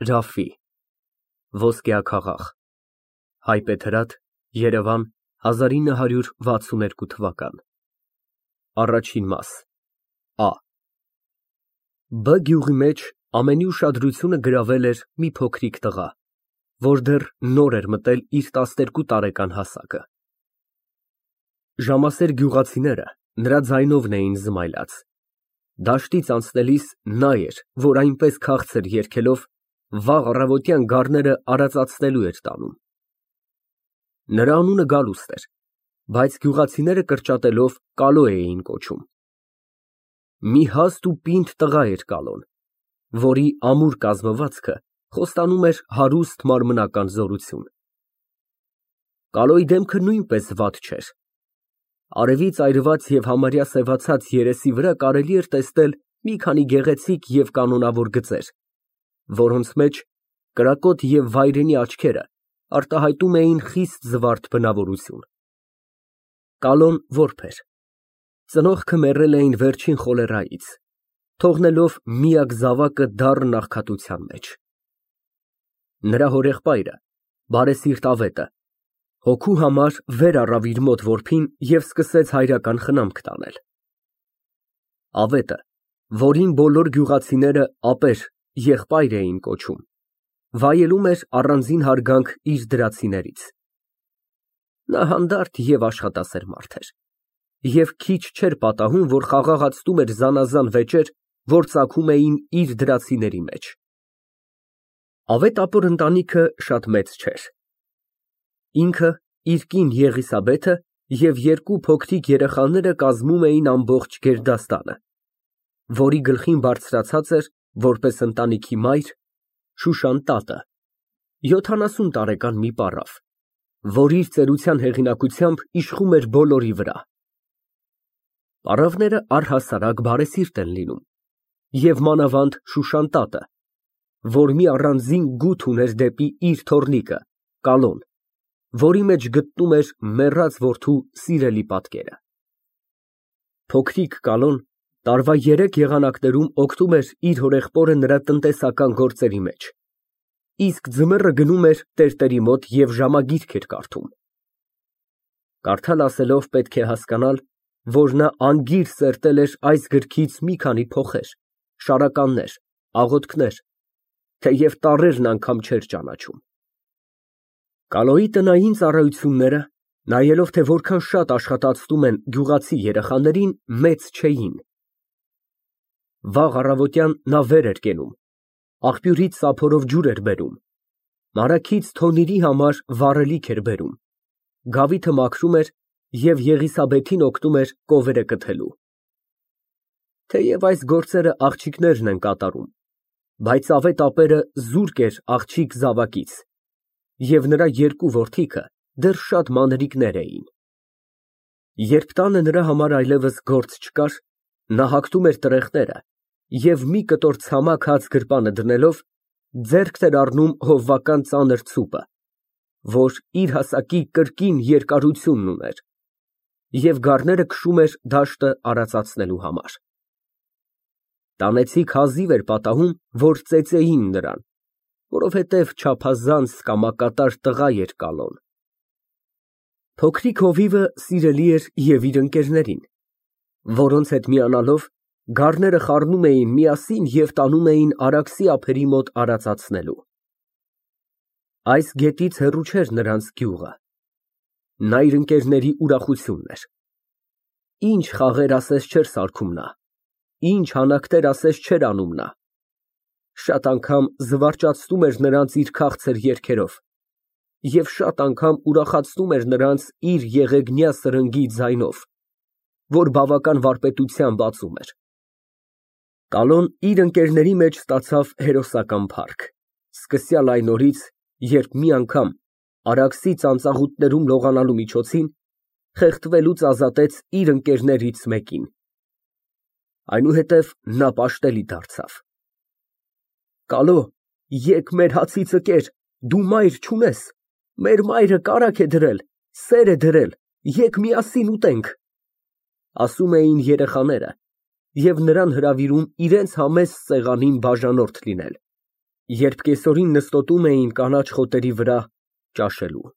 Ռաֆֆի Ոսկյա քաղաք Հայբեթրատ, Երևան 1962 թվական Առաջին մաս Ա Բ գյուղի մեջ ամենի ուշադրությունը գրավել էր մի փոքրիկ տղա, որ դեռ նոր էր մտել իր 12 տարեկան հասակը։ Ժամասեր գյուղացիները նրա ձայնովն էին զմայլած։ Դաշտից անցնելիս նա էր, որ այնպես քաղցր երգելով վաղ առավոտյան գառները արածացնելու էր տանում։ Նրա անունը Գալուստ էր, բայց գյուղացիները կրճատելով Կալո էին կոչում։ Մի հաստ ու պինդ տղա էր Կալոն, որի ամուր կազմվածքը խոստանում էր հարուստ մարմնական զորություն։ Կալոյի դեմքը նույնպես վատ չէր։ Արևից այրված և համարյա սևացած երեսի վրա կարելի էր տեսնել մի քանի գեղեցիկ և կանոնավոր գծեր, որոնց մեջ կրակոտ և վայրենի աչքերը արտահայտում էին խիստ զվարթ բնավորություն։ Կալոն որբ էր։ Ծնողքը մեռել էին վերջին խոլերայից, թողնելով միակ զավակը դառն աղքատության մեջ։ Նրա հորեղբայրը, բարեսիրտ Ավետը, հոգու համար վեր առավ իր մոտ որբին և սկսեց հայրական խնամք տանել։ Ավետը, որին բոլոր գյուղացիները ապեր եղբայր էին կոչում, վայելում էր առանձին հարգանք իր դրացիներից։ Նա հանդարտ և աշխատասեր մարդ էր և քիչ չէր պատահում, որ խաղաղացնում էր զանազան վեճեր, որ ծագում էին իր դրացիների մեջ։ Ավետ ապոր ընտանիքը շատ մեծ չէր։ Ինքը, իր կին Եղիսաբեթը և երկու փոքրիկ երեխաները կազմում էին ամբողջ գերդաստանը, որի գլխին բարձրացած էր, որպես ընտանիքի մայր, Շուշան տատը, 70 տարեկան մի պառավ, որ իր ծերության հեղինակությամբ իշխում էր բոլորի վրա։ Պառավները առհասարակ բարեսիրտ են լինում, և մանավանդ Շուշան տատը, որ մի առանձին գութ ուներ դեպի իր թոռնիկը Կալոն, որի մեջ գտնում էր մեռած որդու սիրելի պատկերը։ Փոքրիկ Կալոն տարվա 3 եղանակներում օգնում էր իր հորեղբորը նրա տնտեսական գործերի մեջ, իսկ ձմեռը գնում էր տերտերի մոտ և ժամագիրք էր կարդում։ Կարդալ ասելով պետք է հասկանալ, որ նա անգիր սերտել էր այս գրքից մի քանի փոխեր, շարականներ, աղոթքներ, թեև տառերն անգամ չէր ճանաչում։ Կալոյի տնային ծառայությունները, նայելով, թե որքան շատ աշխատացնում են գյուղացի երեխաներին, մեծ չէին։ Վաղ առավոտյան նա վեր էր կենում, աղբյուրից սափորով ջուր էր բերում, մարաքից թոնիրի համար վառելիք էր բերում, գավիթը մաքրում էր և Եղիսաբեթին օգնում էր կովերը կթելու։ Թեև այս գործերը աղջիկներն են կատարում, բայց Ավետ ապերը զուրկ էր աղջիկ զավակից, և նրա երկու որդիքը դեռ շատ մանրիկներ էին։ Երբ տանը նրա համար այլևս գործ չկար, նա հագնում էր տրեխները և մի կտոր ցամաք հաց գրպանը դնելով, ձեռքն էր առնում հովվական ծանր ցուպը, որ իր հասակի կրկին երկարությունն ուներ, և գառները քշում էր դաշտը արածացնելու համար։ Տանեցիք հազիվ էր պատահում, որ ծեծեին նրան, որովհետև չափազանց կամակատար տղա էր Կալոն։ Փոքրիկ հովիվը սիրելի էր և իր ընկերներին, որոնց հետ միանալով գառները խառնում էին միասին և տանում էին Արաքսի ափերի մոտ արածացնելու։ Այս գետից հեռու չէր նրանց գյուղը։ Նա իր ընկերների ուրախությունն էր։ Ինչ խաղեր ասես չէր սարքում նա, ինչ հանակներ ասես չէր անում նա։ Շատ անգամ զվարճացնում էր նրանց իր քաղցր երգերով և շատ անգամ ուրախացնում էր նրանց իր եղեգնյա սրնգի ձայնով, որ բավական վարպետությամբ ածում էր։ Կալոն իր ընկերների մեջ ստացավ հերոսական փառք, սկսյալ այն օրից, երբ մի անգամ Արաքսի ծանծաղուտներում լողանալու միջոցին խեղդվելուց ազատեց իր ընկերներից մեկին։ Այնուհետև նա պաշտելի դարձավ։ Կալո, եկ մեր հացիցը կեր, դու մայր չունես, մեր մայրը կարագ է դրել, սեր է դրել, եկ միասին ուտենք, ասում էին երեխաները և նրան հրավիրում իրենց համեստ սեղանին բաժանորդ լինել։ Երբ կեսօրին նստոտում էին կանաչ խոտերի վրա ճաշելու։